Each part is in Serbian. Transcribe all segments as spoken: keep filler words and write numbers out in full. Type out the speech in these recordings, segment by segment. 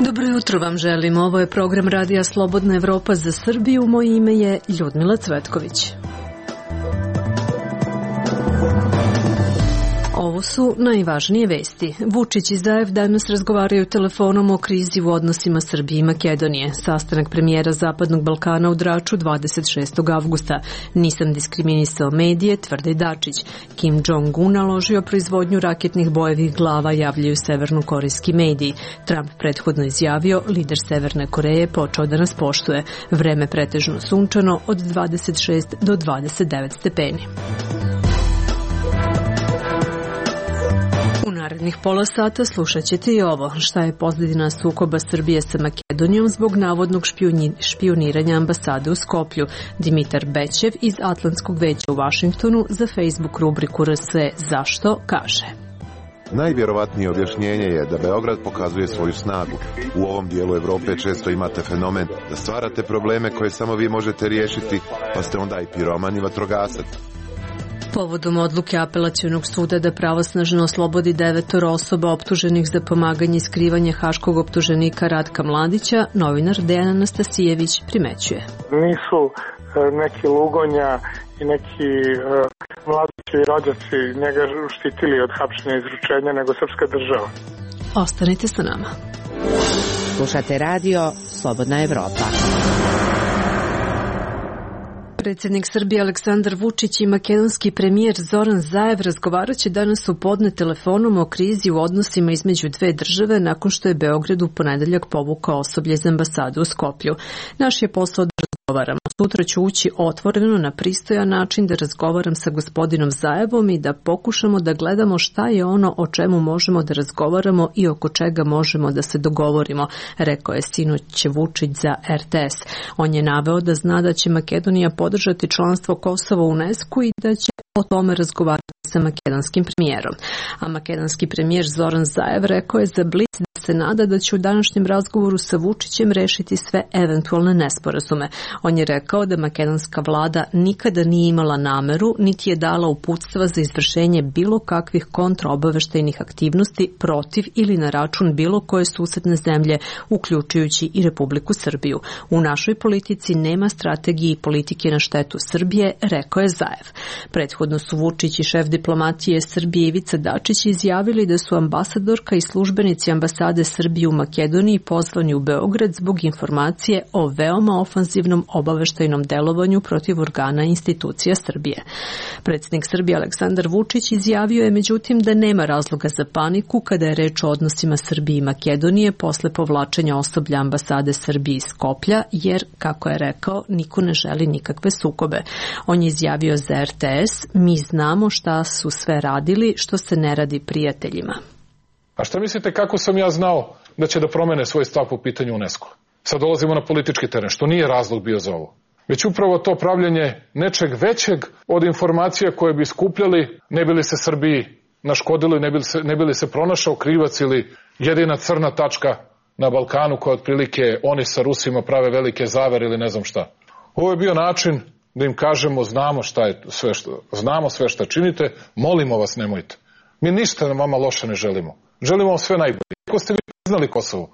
Dobro jutro vam želim. Ovo je program Radija Slobodna Evropa za Srbiju. Moje ime je Ljudmila Cvetković. Ovo su najvažnije vesti. Vučić i Zaev danas razgovaraju telefonom o krizi u odnosima Srbije i Makedonije. Sastanak premijera Zapadnog Balkana u Draču dvadeset šestog avgusta. Nisam diskriminisao medije, tvrdi Dačić. Kim Jong-un naložio proizvodnju raketnih bojevih glava, javljaju severnokorejski mediji. Trump prethodno izjavio, lider Severne Koreje počeo da nas poštuje. Vreme pretežno sunčano od dvadeset šest do dvadeset devet stepeni. U narednih pola sata slušat ćete i ovo. Šta je pozadina sukoba Srbije sa Makedonijom zbog navodnog špijuniranja ambasade u Skoplju? Dimitar Bećev iz Atlantskog veća u Vašingtonu za Facebook rubriku R S Zašto kaže: Najvjerovatnije objašnjenje je da Beograd pokazuje svoju snagu. U ovom dijelu Evrope često imate fenomen da stvarate probleme koje samo vi možete riješiti, pa ste onda i piroman i vatrogasac. Povodom odluke Apelacionog suda da pravosnažno oslobodi devetoro osoba optuženih za pomaganje i skrivanje haškog optuženika Ratka Mladića, novinar Dejan Anastasijević primećuje: Nisu neki Lugonja i neki uh, Mladići i rođaci njega štitili od hapšenja i izručenja, nego srpska država. Ostanite sa nama. Slušate radio Slobodna Evropa. Predsjednik Srbije Aleksandar Vučić i makedonski premijer Zoran Zaev razgovarat će danas u podne telefonom o krizi u odnosima između dve države nakon što je Beograd u ponedeljak povukao osoblje za ambasadu u Skoplju. Naš je posao da razgovaramo. Sutra ću ući otvoreno na pristojan način da razgovaram sa gospodinom Zaevom i da pokušamo da gledamo šta je ono o čemu možemo da razgovaramo i oko čega možemo da se dogovorimo, rekao je sinoć Vučić za R T S. On je naveo da zna da će Makedonija podržati članstvo Kosova u UNESCO i da će o tome razgovarati sa makedonskim premijerom. A makedonski premijer Zoran Zaev rekao je za Blic da se nada da će u današnjem razgovoru sa Vučićem rešiti sve eventualne nesporazume. On je rekao da makedonska vlada nikada nije imala nameru, niti je dala uputstva za izvršenje bilo kakvih kontraobaveštajnih aktivnosti protiv ili na račun bilo koje susedne zemlje, uključujući i Republiku Srbiju. U našoj politici nema strategije i politike na štetu Srbije, rekao je Zaev. Prethodno su Vučić i šef diplomatije Srbije Ivica Dačić izjavili da su ambasadorka i službenici ambasade Srbije u Makedoniji pozvani u Beograd zbog informacije o veoma ofanzivnom obaveštajnom delovanju protiv organa i institucija Srbije. Predsjednik Srbije Aleksandar Vučić izjavio je međutim da nema razloga za paniku kada je reč o odnosima Srbije i Makedonije posle povlačenja osoblja ambasade Srbije iz Skoplja, jer, kako je rekao, niko ne želi nikakve sukobe. On je izjavio za R T S: mi znamo šta su sve radili, što se ne radi prijateljima. A šta mislite kako sam ja znao da će da promene svoj stav po pitanju UNESCO? Sad dolazimo na politički teren, što nije razlog bio za ovo. Već upravo to pravljenje nečeg većeg od informacija koje bi skupljali, ne bi li se Srbiji naškodilo i ne bi li se, ne bi li se pronašao krivac ili jedina crna tačka na Balkanu koja otprilike oni sa Rusima prave velike zavere ili ne znam šta. Ovo je bio način da im kažemo znamo šta je sve što, znamo sve šta činite, molimo vas nemojte. Mi ništa na vama loše ne želimo. Želimo vam sve najbolje. Iako ste vi priznali Kosovo,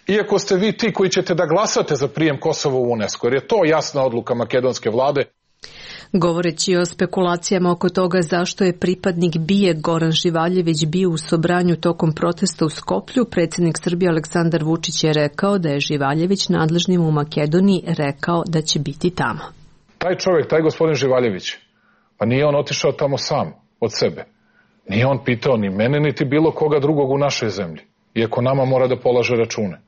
iako ste vi ti koji ćete da glasate za prijem Kosova u UNESCO, jer je to jasna odluka makedonske vlade. Govoreći o spekulacijama oko toga zašto je pripadnik B I E Goran Živaljević bio u Sobranju tokom protesta u Skoplju, predsjednik Srbije Aleksandar Vučić je rekao da je Živaljević nadležnim u Makedoniji rekao da će biti tamo. Taj čovjek, taj gospodin Živaljević, pa nije on otišao tamo sam, od sebe. Nije on pitao ni mene, niti bilo koga drugog u našoj zemlji, iako nama mora da polaže račune.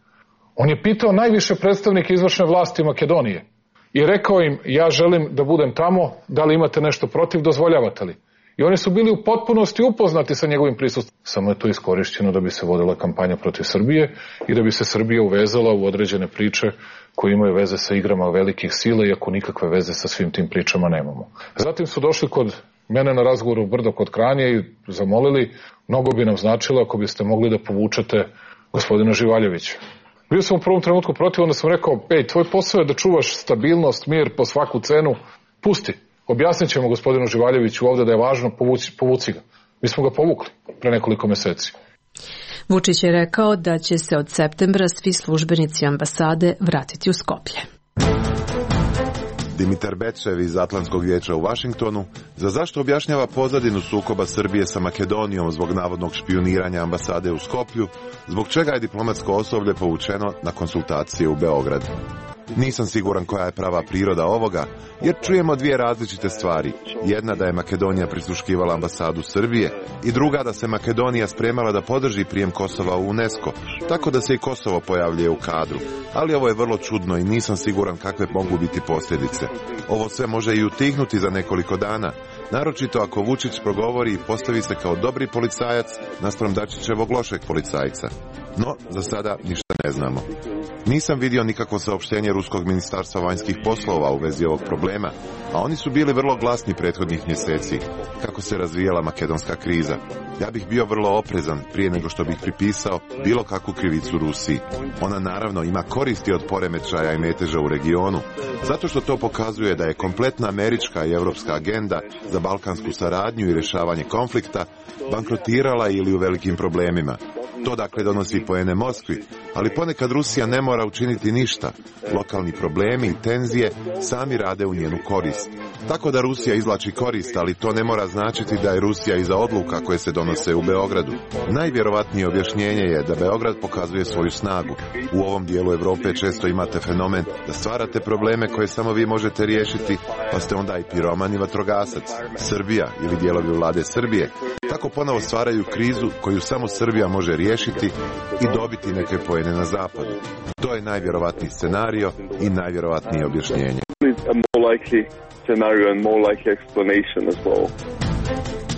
On je pitao najviše predstavnike izvršne vlasti Makedonije i rekao im, ja želim da budem tamo, da li imate nešto protiv, dozvoljavate li? I oni su bili u potpunosti upoznati sa njegovim prisustvom. Samo je to iskorišćeno da bi se vodila kampanja protiv Srbije i da bi se Srbija uvezala u određene priče koje imaju veze sa igrama velikih sila, iako nikakve veze sa svim tim pričama nemamo. Zatim su došli kod mene na razgovoru u Brdo kod Kranja i zamolili, mnogo bi nam značilo ako biste mogli da povučete gospodina Živaljevića. Bio sam u prvom trenutku protiv, onda sam rekao, ej, tvoj posao je da čuvaš stabilnost, mir po svaku cenu, pusti. Objasnit ćemo gospodinu Živaljeviću ovde da je važno, povuci, povuci ga. Mi smo ga povukli pre nekoliko meseci. Vučić je rekao da će se od septembra svi službenici ambasade vratiti u Skoplje. Dimitar Bečev iz Atlantskog vijeća u Vašingtonu za zašto objašnjava pozadinu sukoba Srbije sa Makedonijom zbog navodnog špijuniranja ambasade u Skoplju, zbog čega je diplomatsko osoblje povučeno na konsultacije u Beograd. Nisam siguran koja je prava priroda ovoga, jer čujemo dvije različite stvari. Jedna da je Makedonija prisluškivala ambasadu Srbije i druga da se Makedonija spremala da podrži prijem Kosova u UNESCO, tako da se i Kosovo pojavljuje u kadru. Ali ovo je vrlo čudno i nisam siguran kakve mogu biti posljedice. Ovo sve može i utihnuti za nekoliko dana, naročito ako Vučić progovori i postavi se kao dobri policajac naspram Dačićevog lošeg policajca. No, za sada ništa ne znamo. Nisam vidio nikakvo saopštenje Ruskog ministarstva vanjskih poslova u vezi ovog problema, a oni su bili vrlo glasni prethodnih mjeseci, kako se razvijala makedonska kriza. Ja bih bio vrlo oprezan prije nego što bih pripisao bilo kakvu krivicu Rusiji. Ona naravno ima koristi od poremećaja i meteža u regionu, zato što to pokazuje da je kompletna američka i europska agenda za balkansku saradnju i rješavanje konflikta bankrotirala ili u velikim problemima. To dakle donosi poene Moskvi, ali ponekad Rusija ne mora učiniti ništa. Lokalni problemi i tenzije sami rade u njenu korist. Tako da Rusija izvlači korist, ali to ne mora značiti da je Rusija iza odluka koje se donose u Beogradu. Najvjerovatnije objašnjenje je da Beograd pokazuje svoju snagu. U ovom dijelu Europe često imate fenomen da stvarate probleme koje samo vi možete riješiti, pa ste onda i piroman i vatrogasac. Srbija ili dijelovi vlade Srbije tako ponovo stvaraju krizu koju samo Srbija može riješiti i dobiti neke poene na zapadu. To je najvjerovatniji scenario i najvjerovatnije objašnjenje.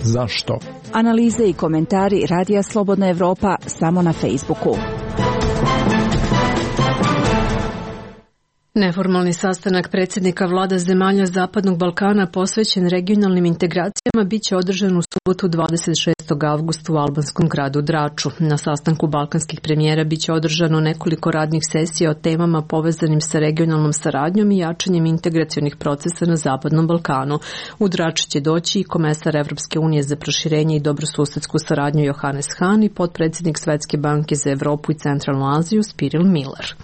Zašto? Analize i komentari Radija Slobodna Evropa samo na Facebooku. Neformalni sastanak predsjednika vlada zemalja Zapadnog Balkana posvećen regionalnim integracijama biće održan u subotu dvadeset šestog avgusta u albanskom gradu Draču. Na sastanku balkanskih premijera biće održano nekoliko radnih sesija o temama povezanim sa regionalnom saradnjom i jačanjem integracionih procesa na Zapadnom Balkanu. U Draču će doći i komesar Evropske unije za proširenje i dobrosusedsku saradnju Johannes Hahn i potpredsjednik Svetske banke za Evropu i Centralnu Aziju Spiril Miller.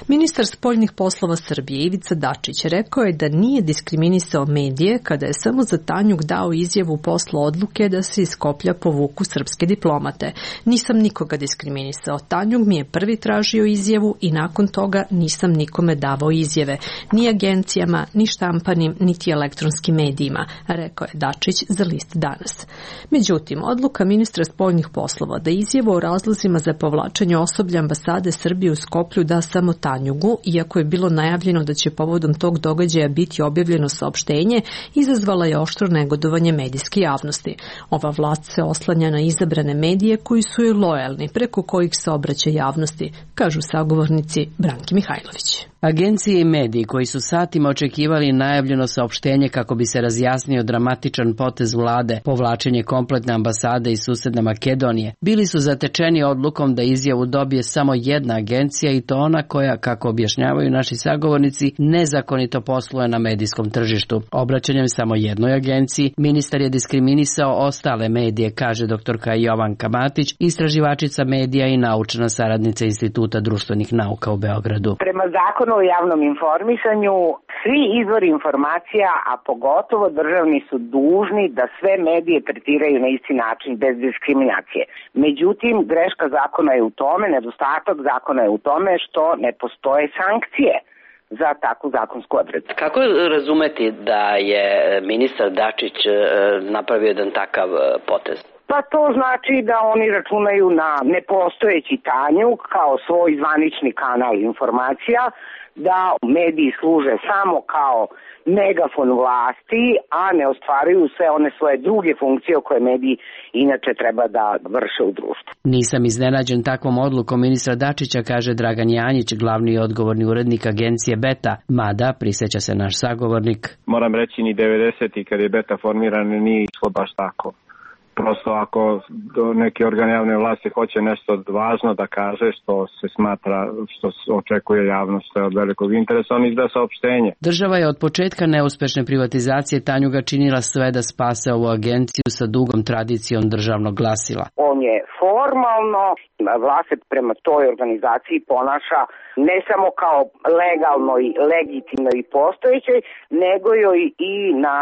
Ministar spoljnih poslova Srbije Ivica Dačić rekao je da nije diskriminisao medije kada je samo za Tanjug dao izjavu posle odluke da se iz Skoplja povuku srpske diplomate. Nisam nikoga diskriminisao. Tanjug mi je prvi tražio izjavu i nakon toga nisam nikome davao izjave. Ni agencijama, ni štampanim, niti elektronskim medijima, rekao je Dačić za list Danas. Međutim, odluka ministra spoljnih poslova da izjavu o razlozima za povlačenje osoblja ambasade Srbije u Skoplju da samo Tanjugu, iako je bilo najavljeno da će povodom tog događaja biti objavljeno saopštenje, izazvala je oštro negodovanje medijske javnosti. Ova vlast se oslanja na izabrane medije koji su joj lojalni, preko kojih se obraća javnosti, kažu sagovornici Branki Mihajlović. Agencije i mediji koji su satima očekivali najavljeno saopštenje kako bi se razjasnio dramatičan potez vlade, povlačenje kompletne ambasade iz susedne Makedonije, bili su zatečeni odlukom da izjavu dobije samo jedna agencija i to ona koja, kako objašnjavaju naši sagovornici, nezakonito posluje na medijskom tržištu. Obraćanjem samo jednoj agenciji, ministar je diskriminisao ostale medije, kaže doktorka Jovanka Matić, istraživačica medija i naučna saradnica Instituta društvenih nauka u Beogradu. Prema zakonu o javnom informisanju, svi izvori informacija, a pogotovo državni, su dužni da sve medije tretiraju na isti način, bez diskriminacije. Međutim, greška zakona je u tome, nedostatak zakona je u tome što ne postoje sankcije za takvu zakonsku odredbu. Kako razumeti da je ministar Dačić napravio jedan takav potez? Pa to znači da oni računaju na nepostojeći Tanjug kao svoj zvanični kanal informacija, da mediji služe samo kao megafon vlasti, a ne ostvaruju sve one svoje druge funkcije koje mediji inače treba da vrše u društvu. Nisam iznenađen takvom odlukom ministra Dačića, kaže Dragan Janjić, glavni i odgovorni urednik agencije Beta, mada prisjeća se naš sagovornik. Moram reći, ni devedesetih kad je Beta formiran nije išlo baš tako. prosto ako neki organ javne vlasti hoće nešto važno da kaže što se smatra, što se očekuje javnost, što je od velikog interesa, on izda saopštenje. Država je od početka neuspešne privatizacije Tanjuga činila sve da spase ovu agenciju sa dugom tradicijom državnog glasila. On je formalno, vlast se prema toj organizaciji ponaša ne samo kao legalno i legitimno i postojećoj, nego joj i na,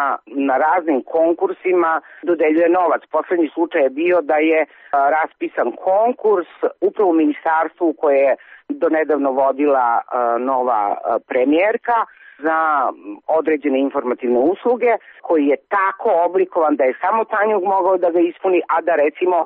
na raznim konkursima dodeljuje novac. Poslednji slučaj je bio da je a, raspisan konkurs upravo u ministarstvu koje je donedavno vodila a, nova a, premijerka za određene informativne usluge, koji je tako oblikovan da je samo Tanjug mogao da ga ispuni, a da recimo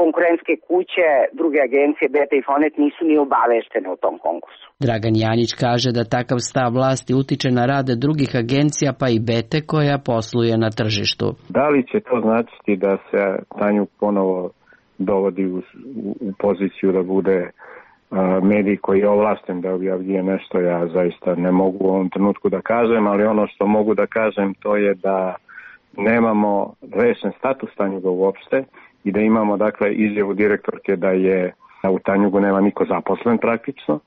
konkurentske kuće, druge agencije, Beta i Fonet nisu ni obaveštene o tom konkursu. Dragan Janjić kaže da takav stav vlasti utiče na rade drugih agencija, pa i Bete koja posluje na tržištu. Da li će to značiti da se Tanjug ponovo dovodi u, u poziciju da bude a, medij koji je ovlašten da objavljuje nešto, ja zaista ne mogu u ovom trenutku da kažem, ali ono što mogu da kažem to je da nemamo rešen status Tanjuga uopšte, i da imamo dakle izjavu direktorke da je da u Tanjugu nema niko zaposlen praktično,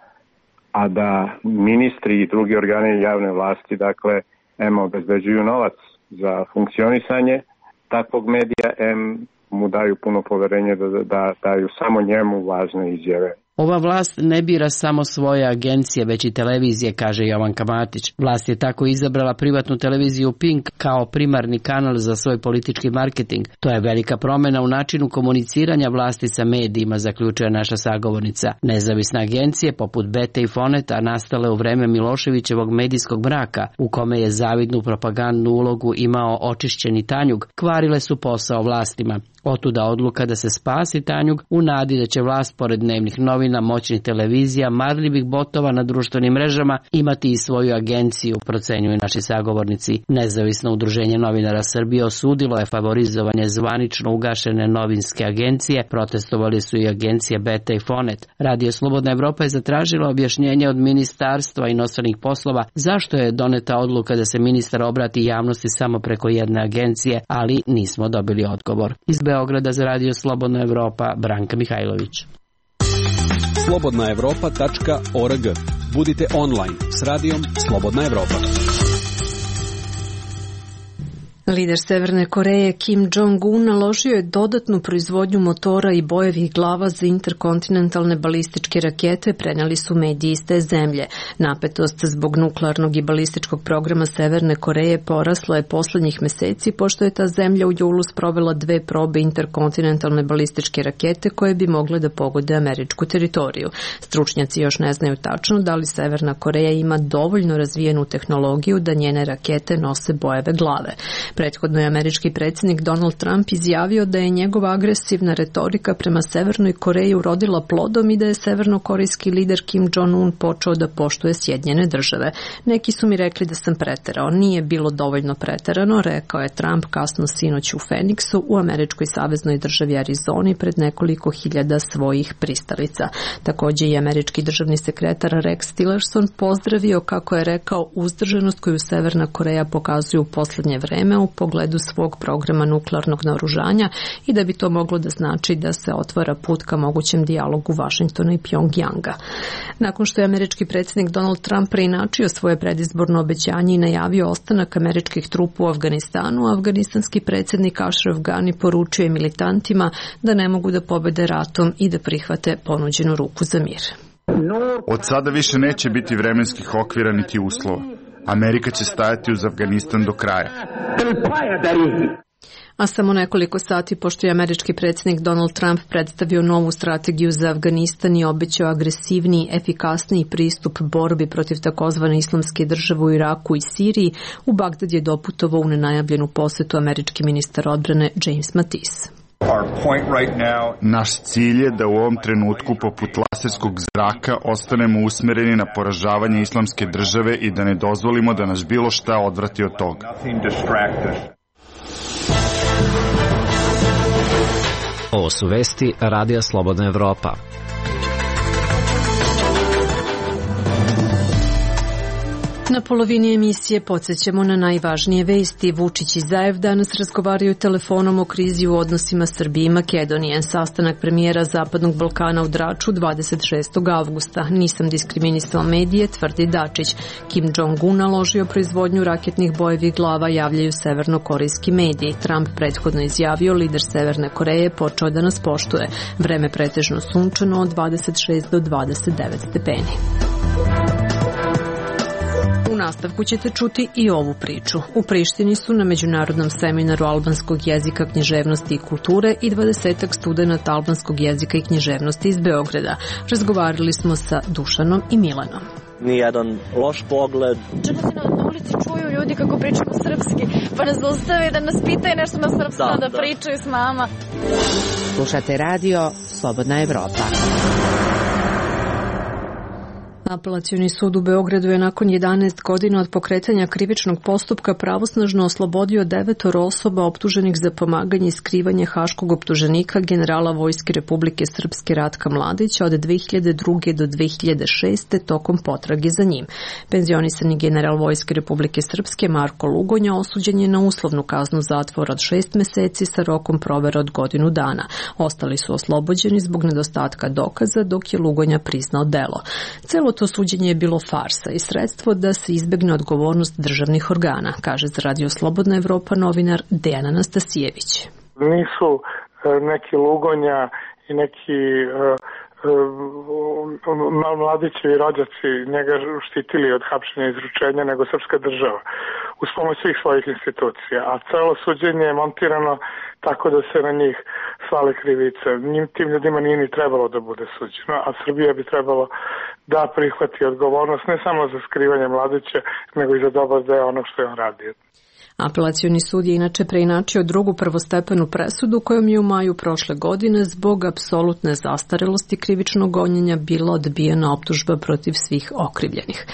a da ministri i drugi organi javne vlasti dakle em obezbeđuju novac za funkcionisanje takvog medija, em mu daju puno poverenje da, da daju samo njemu važne izjave. Ova vlast ne bira samo svoje agencije, već i televizije, kaže Jovanka Matić. Vlast je tako izabrala privatnu televiziju Pink kao primarni kanal za svoj politički marketing. To je velika promjena u načinu komuniciranja vlasti sa medijima, zaključuje naša sagovornica. Nezavisne agencije, poput Bete i Foneta, nastale u vreme Miloševićevog medijskog mraka, u kome je zavidnu propagandnu ulogu imao očišćeni Tanjug, kvarile su posao vlastima. Otuda odluka da se spasi Tanjug u nadi da će vlast pored dnevnih novina, moćnih televizija, marljivih botova na društvenim mrežama imati i svoju agenciju, procenjuju naši sagovornici. Nezavisno udruženje novinara Srbije osudilo je favorizovanje zvanično ugašene novinske agencije, protestovali su i agencije Beta i Fonet. Radio Slobodna Evropa je zatražila objašnjenje od Ministarstva inostranih poslova zašto je doneta odluka da se ministar obrati javnosti samo preko jedne agencije, ali nismo dobili odgovor. Iz Beograda za Radio Slobodna Evropa, Branka Mihajlović. slobodna evropa tačka org. Budite online s radijom Slobodna Evropa. Lider Severne Koreje Kim Jong-un naložio je dodatnu proizvodnju motora i bojevih glava za interkontinentalne balističke rakete, prenijeli su mediji iz te zemlje. Napetost zbog nuklearnog i balističkog programa Severne Koreje porasla je poslednjih meseci, pošto je ta zemlja u julu sprovela dve probe interkontinentalne balističke rakete koje bi mogle da pogode američku teritoriju. Stručnjaci još ne znaju tačno da li Severna Koreja ima dovoljno razvijenu tehnologiju da njene rakete nose bojeve glave. Prethodno je američki predsjednik Donald Trump izjavio da je njegova agresivna retorika prema Severnoj Koreji urodila plodom i da je severnokorejski lider Kim Jong-un počeo da poštuje Sjedinjene države. Neki su mi rekli da sam preterao. Nije bilo dovoljno preterano, rekao je Trump kasno sinoć u Phoenixu u američkoj saveznoj državi Arizoni pred nekoliko hiljada svojih pristalica. Također i američki državni sekretar Rex Tillerson pozdravio, kako je rekao, uzdržanost koju Severna Koreja pokazuje u posljednje vreme u pogledu svog programa nuklearnog naoružanja i da bi to moglo da znači da se otvara put ka mogućem dijalogu Vašingtona i Pjongjanga. Nakon što je američki predsjednik Donald Trump preinačio svoje predizborno obećanje i najavio ostanak američkih trupa u Afganistanu, afganistanski predsjednik Ashraf Ghani poručio je militantima da ne mogu da pobede ratom i da prihvate ponuđenu ruku za mir. Od sada više neće biti vremenskih okvira niti uslova. Amerika će stajati uz Afganistan do kraja. A samo nekoliko sati pošto je američki predsjednik Donald Trump predstavio novu strategiju za Afganistan i obećao agresivniji, efikasniji pristup borbi protiv takozvane islamske države u Iraku i Siriji, u Bagdad je doputovao u nenajavljenu posetu američki ministar odbrane James Mattis. Naš cilj je da u ovom trenutku poput laserskog zraka ostanemo usmereni na poražavanje islamske države i da ne dozvolimo da nas bilo šta odvrati od toga. Ovo su vesti Radija Slobodna Evropa. Na polovini emisije podsjećamo na najvažnije vesti. Vučić i Zaev danas razgovaraju telefonom o krizi u odnosima Srbije i Makedonije. Sastanak premijera Zapadnog Balkana u Draču dvadeset šestog avgusta. Nisam diskriminisao medije, tvrdi Dačić. Kim Jong-un naložio proizvodnju raketnih bojevih glava, javljaju severnokorejski mediji. Trump prethodno izjavio, lider Severne Koreje počeo da nas poštuje. Vreme pretežno sunčano od dvadeset šest do dvadeset devet stepeni. U nastavku ćete čuti i ovu priču. U Prištini su na međunarodnom seminaru albanskog jezika, književnosti i kulture i dvadesetak studenata albanskog jezika i književnosti iz Beograda. Razgovarali smo sa Dušanom i Milanom. Nijedan loš pogled. Čak se na ulici čuju ljudi kako pričamo srpski, pa nas zaustave da nas pitaju nešto na srpskom, da, da, da pričaju s nama. Slušate radio Slobodna Evropa. Apelacioni sud u Beogradu je nakon jedanaest godina od pokretanja krivičnog postupka pravosnažno oslobodio devetoro osoba optuženih za pomaganje i skrivanje haškog optuženika generala Vojske Republike Srpske Ratka Mladića od dve hiljade druge do dve hiljade šeste tokom potrage za njim. Penzionisani general Vojske Republike Srpske Marko Lugonja osuđen je na uslovnu kaznu zatvora od šest meseci sa rokom provere od godinu dana. Ostali su oslobođeni zbog nedostatka dokaza, dok je Lugonja priznao delo. Celo to suđenje je bilo farsa i sredstvo da se izbegne odgovornost državnih organa, kaže za Radio Slobodna Evropa novinar Dejan Anastasijević. Nisu neki Lugonja i neki mladićevi rođaci njega štitili od hapšenja i izručenja, nego srpska država uz pomoć svih svojih institucija, a celo suđenje je montirano tako da se na njih svale krivice. Njim, tim ljudima nije ni trebalo da bude suđeno, a Srbija bi trebalo da prihvati odgovornost ne samo za skrivanje Mladića, nego i za dobar deo onog što je on radio. Apelacioni sud je inače preinačio drugu prvostepenu presudu kojom je u maju prošle godine zbog apsolutne zastarelosti krivičnog gonjenja bila odbijena optužba protiv svih okrivljenih.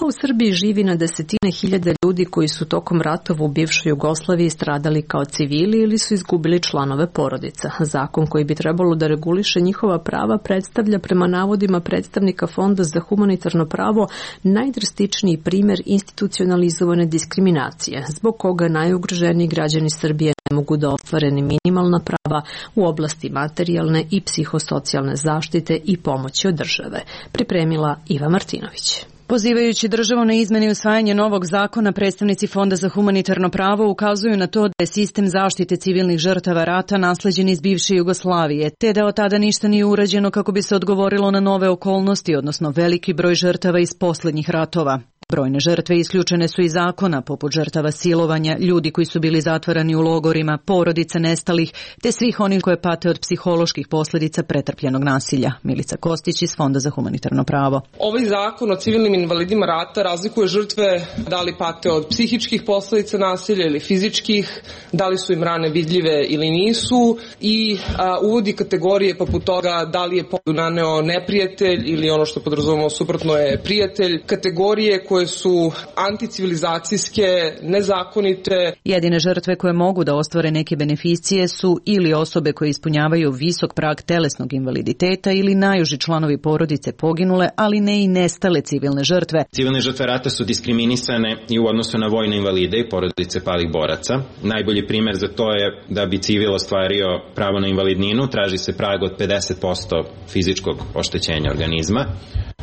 A u Srbiji živi na desetine hiljada ljudi koji su tokom ratova u bivšoj Jugoslaviji stradali kao civili ili su izgubili članove porodica. Zakon koji bi trebalo da reguliše njihova prava predstavlja prema navodima predstavnika Fonda za humanitarno pravo najdrastičniji primer institucionalizovane diskriminacije, zbog koga najugroženiji građani Srbije ne mogu da ostvare ni minimalna prava u oblasti materijalne i psihosocijalne zaštite i pomoći od države. Pripremila Iva Martinović. Pozivajući državu na izmene i usvajanje novog zakona, predstavnici Fonda za humanitarno pravo ukazuju na to da je sistem zaštite civilnih žrtava rata nasleđen iz bivše Jugoslavije, te da od tada ništa nije urađeno kako bi se odgovorilo na nove okolnosti, odnosno veliki broj žrtava iz poslednjih ratova. Brojne žrtve isključene su iz zakona, poput žrtava silovanja, ljudi koji su bili zatvarani u logorima, porodica nestalih, te svih onih koje pate od psiholoških posljedica pretrpljenog nasilja. Milica Kostić iz Fonda za humanitarno pravo. Ovaj zakon o civilnim invalidima rata razlikuje žrtve da li pate od psihičkih posljedica nasilja ili fizičkih, da li su im rane vidljive ili nisu i a, uvodi kategorije poput toga da li je povredu naneo neprijatelj ili ono što podrazumemo suprotno je prijatelj, kategorije koje su anticivilizacijske, nezakonite. Jedine žrtve koje mogu da ostvare neke beneficije su ili osobe koje ispunjavaju visok prag telesnog invaliditeta ili najuži članovi porodice poginule, ali ne i nestale civilne žrtve. Civilne žrtve rata su diskriminisane i u odnosu na vojne invalide i porodice palih boraca. Najbolji primer za to je da bi civil ostvario pravo na invalidninu, traži se prag od pedeset posto fizičkog oštećenja organizma,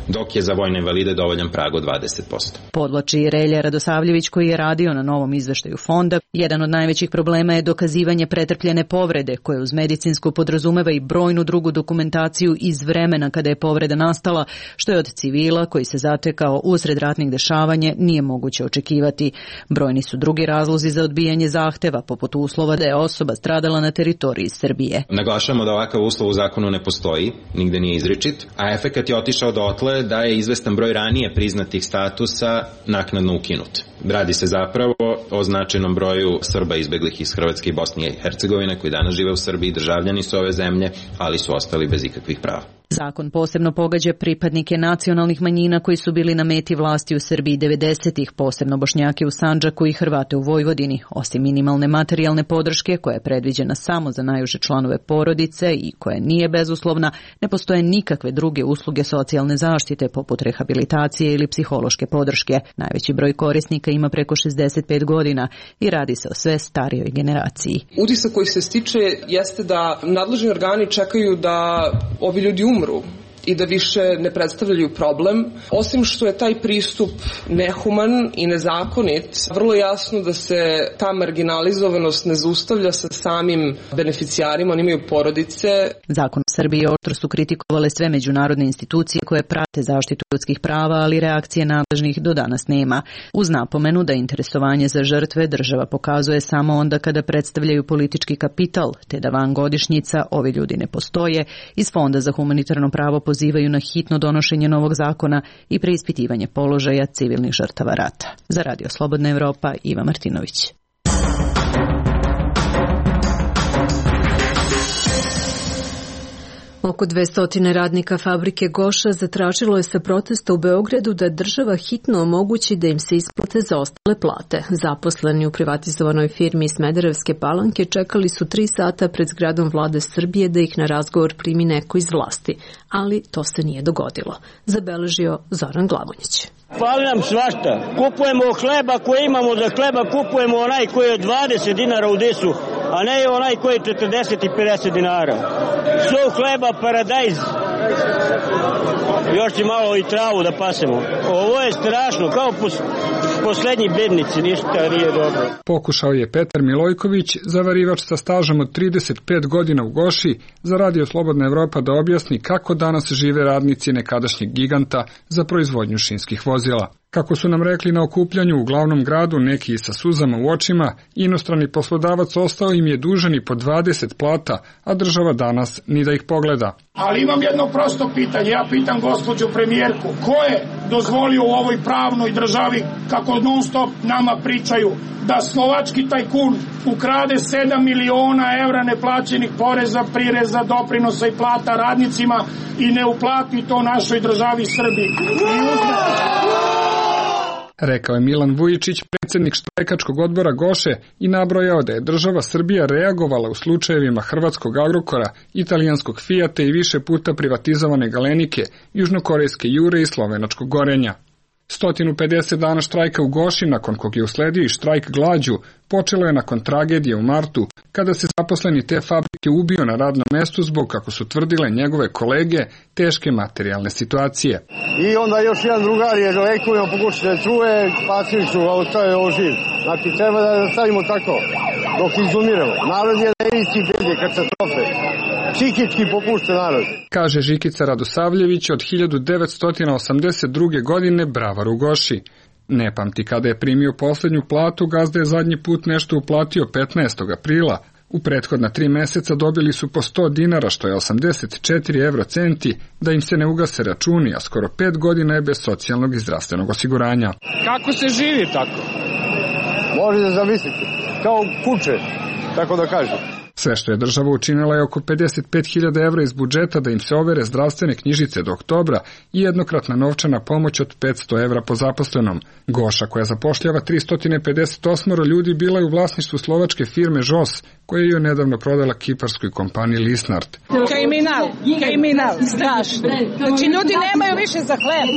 dok je za vojne invalide dovoljan prag od dvadeset posto. Podvlači Relja Radosavljević koji je radio na novom izveštaju fonda. Jedan od najvećih problema je dokazivanje pretrpljene povrede, koje uz medicinsku podrazumeva i brojnu drugu dokumentaciju iz vremena kada je povreda nastala, što je od civila koji se zatekao usred ratnih dešavanja nije moguće očekivati. Brojni su drugi razlozi za odbijanje zahteva, poput uslova da je osoba stradala na teritoriji Srbije. Naglašamo da ovakav uslov u zakonu ne postoji, nigde nije izričit, a efekat je otišao dotle da je izvestan broj ranije priznatih statusa naknadno ukinut. Radi se zapravo o značajnom broju Srba izbeglih iz Hrvatske i Bosne i Hercegovine koji danas žive u Srbiji, državljani su ove zemlje, ali su ostali bez ikakvih prava. Zakon posebno pogađa pripadnike nacionalnih manjina koji su bili na meti vlasti u Srbiji devedesetih, posebno Bošnjake u Sandžaku i Hrvate u Vojvodini. Osim minimalne materijalne podrške, koja je predviđena samo za najuže članove porodice i koja nije bezuslovna, ne postoje nikakve druge usluge socijalne zaštite poput rehabilitacije ili psihološke podrške. Najveći broj korisnika ima preko šezdeset pet godina i radi se o sve starijoj generaciji. Utisak koji se stiče jeste da nadležni organi čekaju da ovi ljudi umru i da više ne predstavljaju problem. Osim što je taj pristup nehuman i nezakonit, vrlo jasno da se ta marginalizovanost ne zaustavlja sa samim beneficijarima, oni imaju porodice. Zakon Srbije oštro su kritikovale sve međunarodne institucije koje prate zaštitu ljudskih prava, ali reakcije nadležnih do danas nema. Uz napomenu da interesovanje za žrtve država pokazuje samo onda kada predstavljaju politički kapital, te da van godišnjica ovi ljudi ne postoje, iz Fonda za humanitarno pravo pozivaju na hitno donošenje novog zakona i preispitivanje položaja civilnih žrtava rata. Za Radio Slobodna Evropa, Iva Martinović. Oko dvesta radnika fabrike Goša zatražilo je sa protesta u Beogradu da država hitno omogući da im se isplate zaostale plate. Zaposleni u privatizovanoj firmi iz Smederevske Palanke čekali su tri sata pred zgradom vlade Srbije da ih na razgovor primi neko iz vlasti, ali to se nije dogodilo, zabeležio Zoran Glavonjić. Fali nam svašta. Kupujemo hleba koje imamo za hleba, kupujemo onaj koji je dvadeset dinara u disu, a ne onaj koji je četrdeset i pedeset dinara. Suv hleba, paradajz. Još će malo i travu da pasemo. Ovo je strašno, kao pos, poslednji bednici, ništa nije dobro. Pokušao je Petar Milojković, zavarivač sa stažom od trideset pet godina u Goši, za Radio Slobodna Evropa da objasni kako danas žive radnici nekadašnjeg giganta za proizvodnju šinskih vozila. Kako su nam rekli na okupljanju u glavnom gradu, neki sa suzama u očima, inostrani poslodavac ostao im je dužan i po dvadeset plata, a država danas ni da ih pogleda. Ali imam jedno prosto pitanje, ja pitam gospođu premijerku, ko je dozvolio u ovoj pravnoj državi, kako non stop nama pričaju, da slovački tajkun ukrade sedam miliona evra neplaćenih poreza, prireza, doprinosa i plata radnicima i ne uplati to našoj državi Srbiji. I uzme... Rekao je Milan Vujičić, predsjednik štrajkačkog odbora Goše, i nabrojao da je država Srbija reagovala u slučajevima hrvatskog Agrokora, italijanskog Fijata i više puta privatizovane Galenike, južnokorejske Jure i slovenačkog Gorenja. sto pedeset dana štrajka u Goši, nakon kog je usledio i štrajk glađu, počelo je nakon tragedije u martu, kada se zaposleni te fabrike ubio na radnom mestu zbog, kako su tvrdile njegove kolege, teške materijalne situacije. I onda još jedan drugar je lekovima pokušao da čuje, spasili su ga, ostavio živ. Znači, treba da stavimo tako, dok izumiramo. Narod je na isti bedi, katastrofe. Psihički popušten narod. Kaže Žikica Radosavljević, od hiljadu devetsto osamdeset druge. godine bravar u Goši. Ne pamti kada je primio poslednju platu, gazda je zadnji put nešto uplatio petnaestog aprila. U prethodna tri meseca dobili su po sto dinara, što je osamdeset četiri evrocenti, da im se ne ugase računi, a skoro pet godina je bez socijalnog i zdravstvenog osiguranja. Kako se živi tako? Možete zamisliti, kao kuće, tako da kažem. Sve što je država učinila je oko pedeset pet hiljada evra iz budžeta da im se overe zdravstvene knjižice do oktobra i jednokratna novčana pomoć od petsto evra po zaposlenom. Goša, koja zapošljava tristo pedeset osam ljudi, bila je u vlasništvu slovačke firme Žos, koja je nedavno prodala kiparskoj kompaniji Lisnard. Kriminal, kriminal, strašno. Znači, ljudi nemaju više za hleb.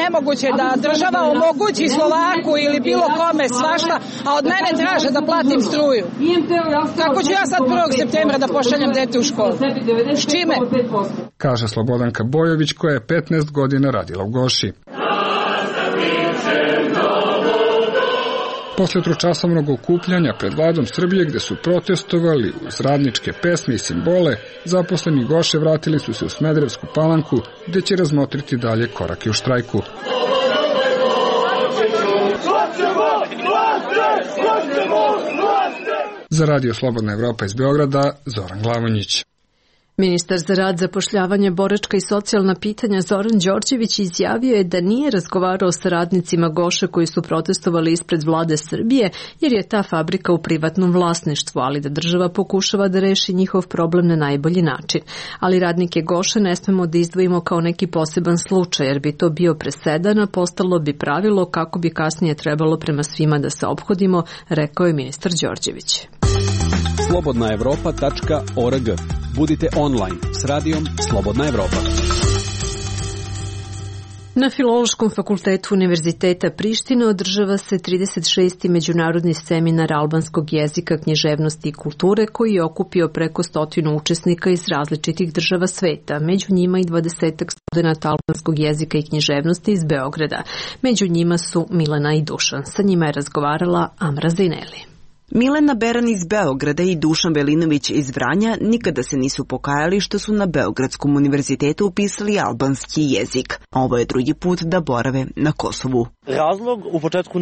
Nemoguće da država omogući Slovaku ili bilo kome svašta, a od mene traže da platim struju. Kako ću ja sad prvog septembra da pošaljem dete u školu? S čime? Kaže Slobodanka Bojović, koja je petnaest godina radila u Goši. Posle tročasovnog okupljanja pred vladom Srbije, gde su protestovali uz radničke pesme i simbole, zaposleni Goše vratili su se u Smederevsku Palanku, gde će razmotriti dalje korake u štrajku. Za Radio Slobodna Evropa iz Beograda, Zoran Glavonjić. Ministar za rad, zapošljavanje, boračka i socijalna pitanja Zoran Đorđević izjavio je da nije razgovarao sa radnicima Goše koji su protestovali ispred vlade Srbije jer je ta fabrika u privatnom vlasništvu, ali da država pokušava da reši njihov problem na najbolji način. Ali radnike Goše ne smemo da izdvojimo kao neki poseban slučaj jer bi to bio presedan, a postalo bi pravilo kako bi kasnije trebalo prema svima da se ophodimo, rekao je ministar Đorđević. slobodna evropa tačka org. Budite online s radijom Slobodna Evropa. Na Filološkom fakultetu Univerziteta Prištine održava se trideset šesti međunarodni seminar albanskog jezika, književnosti i kulture koji je okupio preko stotinu učesnika iz različitih država sveta, među njima i dvadesetak studenta albanskog jezika i književnosti iz Beograda. Među njima su Milena i Dušan. Sa njima je razgovarala Amra Zineli. Milena Beran iz Beograda i Dušan Velinović iz Vranja nikada se nisu pokajali što su na Beogradskom univerzitetu upisali albanski jezik. Ovo je drugi put da borave na Kosovu. Razlog u početku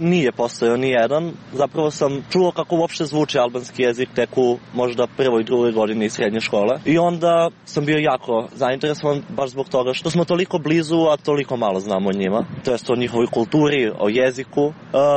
nije postojao ni jedan. Zapravo sam čuo kako uopšte zvuči albanski jezik tek u možda prvoj, drugoj godini srednje škole. I onda sam bio jako zainteresovan baš zbog toga što smo toliko blizu, a toliko malo znamo o njima. To jest o njihovoj kulturi, o jeziku.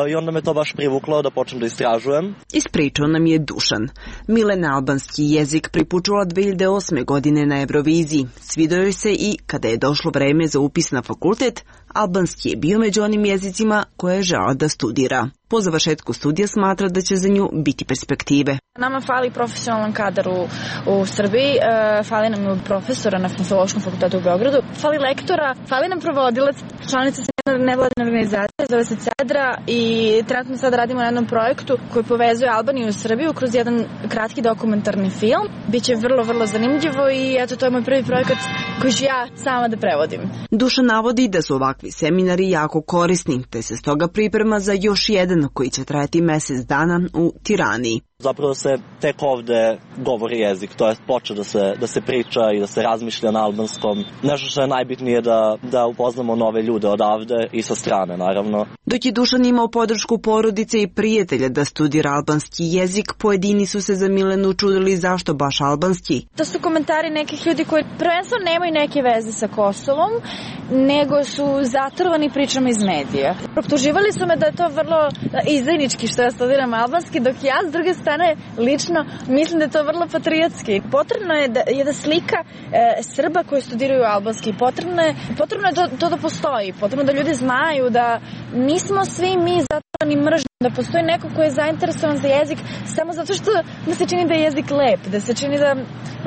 I onda me to baš privuklo da počnem da istražujem. Ispričao nam je Dušan. Milena albanski jezik pripučula dve hiljade osme. godine na Euroviziji. Svidao joj se i kada je došlo vreme za upis na fakultet, albanski je bio među onim jezicima koje je želala da studira. Po završetku studija smatra da će za nju biti perspektive. Nama fali profesionalan kadar u, u Srbiji, e, fali nam profesora na Filološkom fakultetu u Beogradu, fali lektora, fali nam provodilac, članica nevladine organizacije, zove se Cedra i trenutno sad radimo na jednom projektu koji povezuje Albaniju i Srbiju kroz jedan kratki dokumentarni film. Biće vrlo, vrlo zanimljivo i eto, to je moj prvi projekat koji ću ja sama da prevodim. Duša navodi da su ovakvi seminari jako korisni, te se stoga priprema za još jedan koji će trajati mesec dana u Tirani. Zapravo se tek ovde govori jezik, to je počeo da se, da se priča i da se razmišlja na albanskom. Nešto što je najbitnije da, da upoznamo nove ljude odavde i sa strane, naravno. Dok je Dušan imao podršku porodice i prijatelja da studira albanski jezik, pojedini su se za Milenu čudili zašto baš albanski. To su komentari nekih ljudi koji prvenstveno nemaju neke veze sa Kosovom, nego su zatrovani pričama iz medija. Optuživali su me da je to vrlo izdajnički što ja studiram albanski, dok ja s druge strane lično mislim da je to vrlo patriotski. Potrebno je da, je da slika e, Srba koji studiraju albanski. Potrebno je, potrebno je to, to da postoji. Potrebno da ljudi znaju da nismo svi mi zatrovani mržnjom, da postoji neko ko je zainteresovan za jezik samo zato što mu se čini da je jezik lep, da se čini da,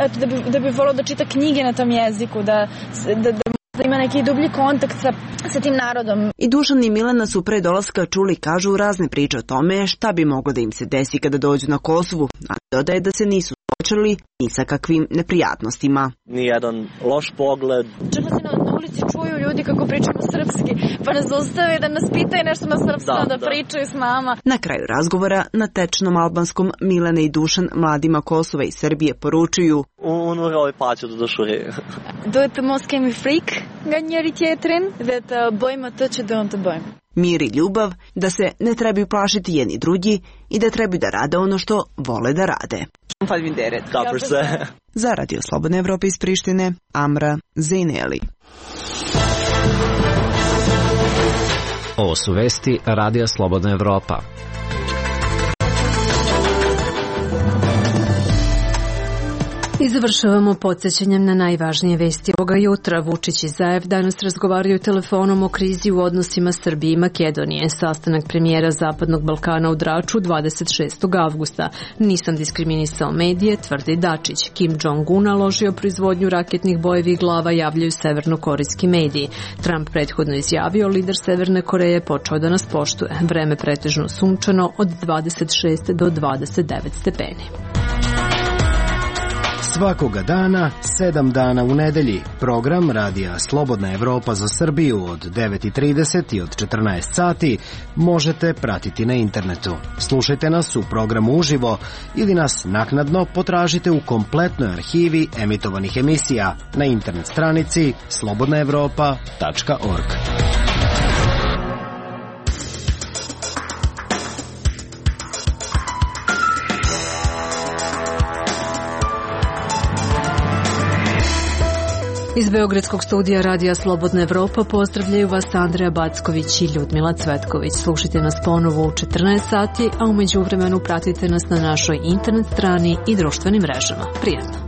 eto, da, bi, da bi volao da čita knjige na tom jeziku, da, da, da da ima neki dublji kontakt sa, sa tim narodom. I Dušan i Milena su pre dolaska čuli, kažu, razne priče o tome šta bi moglo da im se desi kada dođu na Kosovu, a dodaje da se nisu suočili ni sa kakvim neprijatnostima. Nijedan loš pogled. Čak se na ulici čuju ljudi kako pričamo srpski, pa nas ustave da nas pitaju nešto na srpskom, da, da pričaju s nama. Na kraju razgovora na tečnom albanskom Milena i Dušan mladima Kosova i Srbije poručuju: Unë roj paqe të dëshuri. Duhet të mos kemi frikë nga njëri tjetrin dhe të bëjmë atë që duam të bëjmë. Mir i ljubav, da se ne trebaju plašiti jedni drugi i da trebaju da rade ono što vole da rade. Kapër se. Za Radio Slobodne Evrope iz Prištine, Amra Zineli. Ovo su vesti Radija Slobodna Evropa. I završavamo podsjećanjem na najvažnije vesti ovoga jutra. Vučić i Zaev danas razgovaraju telefonom o krizi u odnosima Srbije i Makedonije. Sastanak premijera Zapadnog Balkana u Draču dvadeset šestog avgusta. Nisam diskriminisao medije, tvrdi Dačić. Kim Jong-un naložio proizvodnju raketnih bojevih glava, javljaju severnokorejski mediji. Trump prethodno izjavio, lider Severne Koreje počeo da nas poštuje. Vreme pretežno sunčano od dvadeset šest do dvadeset devet stepeni. Svakoga dana, sedam dana u nedelji. Program Radija Slobodna Evropa za Srbiju od devet i trideset i od četrnaest sati možete pratiti na internetu. Slušajte nas u programu uživo ili nas naknadno potražite u kompletnoj arhivi emitovanih emisija na internet stranici slobodna evropa tačka org. Iz Beogradskog studija Radija Slobodna Evropa pozdravljaju vas Andreja Backović i Ljudmila Cvetković. Slušajte nas ponovo u četrnaest sati, a umeđu vremenu pratite nas na našoj internet strani i društvenim mrežama. Prijatno!